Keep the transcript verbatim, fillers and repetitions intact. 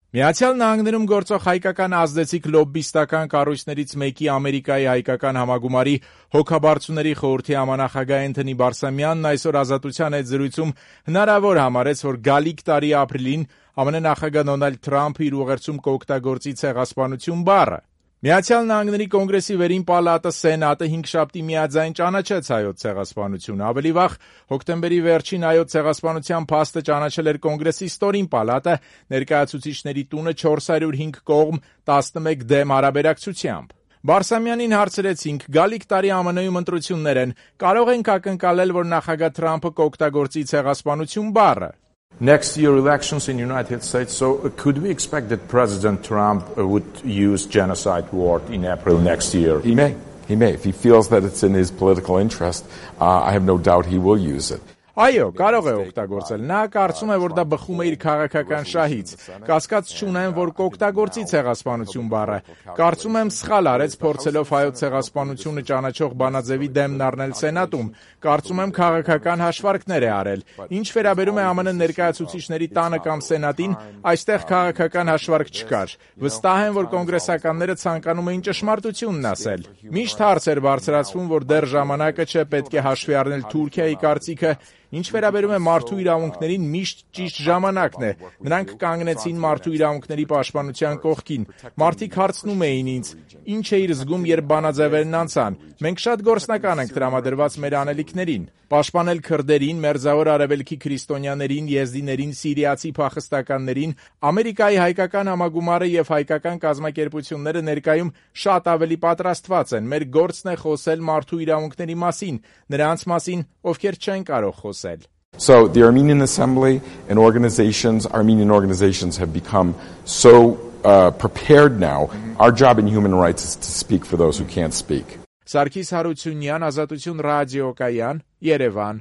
Միացյալ Նահանգներում գործող հայկական ազդեցիկ լոբբիստական կառույցներից մեկի Ամերիկայի հայկական համագումարի հոգաբարձուների խորհրդի համանախագահ Էնթոնի Բարսամյանն այսօր Ազատության հետ զրույցում հնարավոր համարեց, որ գալիք տարի ապրիլին ԱՄՆ նախագահ Դոնալդ Թրամփը իր ուղերձում կօգտագործի ցեղասպանություն բառը։ Միացյալ Նահանգների կոնգրեսի վերին պալատը Սենատը հինգշաբթի միաձայն ճանաչեց հայոց ցեղասպանությունը։ Ավելի վաղ հոկտեմբերի վերջին հայոց ցեղասպանության փաստը ճանաչել էր կոնգրեսի ստորին պալատը ներկայացուցիչների տունը չորս հարյուր հինգ կողմ տասնմեկ դեմ հարաբերակցությամբ։ Բարսամյանին հարցրեցինք՝ գալիք տարի ԱՄՆ-ում ընտրություններ են, կարող ենք ակնկալել, որ նախագահ Թրամփը կօգտագործի ցեղասպանություն բառը։ Next year elections in the United States, so could we expect that President Trump would use genocide word in April next year? He may. He may. If he feels that it's in his political interest, uh, I have no doubt he will use it. Այո, կարող է օգտագործել։ Նա կարծում է, որ դա բխում է իր քաղաքական շահից։ Կասկած չունեմ, որ կօգտագործի ցեղասպանություն բառը։ Կարծում եմ սխալ արեց փորձելով հայոց ցեղասպանությունը ճանաչող բանաձևի դեմն առնել Սենատում։ Կարծում եմ քաղաքական հաշվարկներ է արել։ Ինչ վերաբերում է ԱՄՆ ներկայացուցիչների տանը կամ Սենատին, այստեղ քաղաքական հաշվարկ չկար։ Վստահ եմ, որ կոնգրեսականները ցանկանում էին ճշմարտությունն ասել։ Միշտ հարց էր բարձրացվում, որ դեռ ժամանակը չէ, պետք է հաշվի առնել Թուրքիայի կարծիքը։ Ինչ վերաբերում է մարդու իրավունքներին, միշտ ճիշտ ժամանակն է։ Նրանք կանգնեցին մարդու իրավունքների պաշտպանության կողքին։ Մարդիկ հարցնում էին ինձ. ինչ էիր զգում, երբ բանաձևերն անցան։ Մենք շատ գործնական ենք տրամադրված մեր անելիքներին։ Պաշտպանել քրդերին, Մերձավոր Արևելքի քրիստոնյաներին, եզդիներին, սիրիացի փախստականներին, Ամերիկայի հայկական համագումարը եւ հայկական կազմակերպությունները ներկայում շատ ավելի պատրաստված են։ Մեր գործն է խոսել մարդու իրավունքների մասին, նրանց մասին, ովքեր չեն կարող խոսել։ So the Armenian Assembly and organizations, Armenian organizations have become so uh, prepared now. Our job in human rights is to speak for those who can't speak. Սարգիս Հարությունյան, Ազատություն ռադիոկայան, Երևան։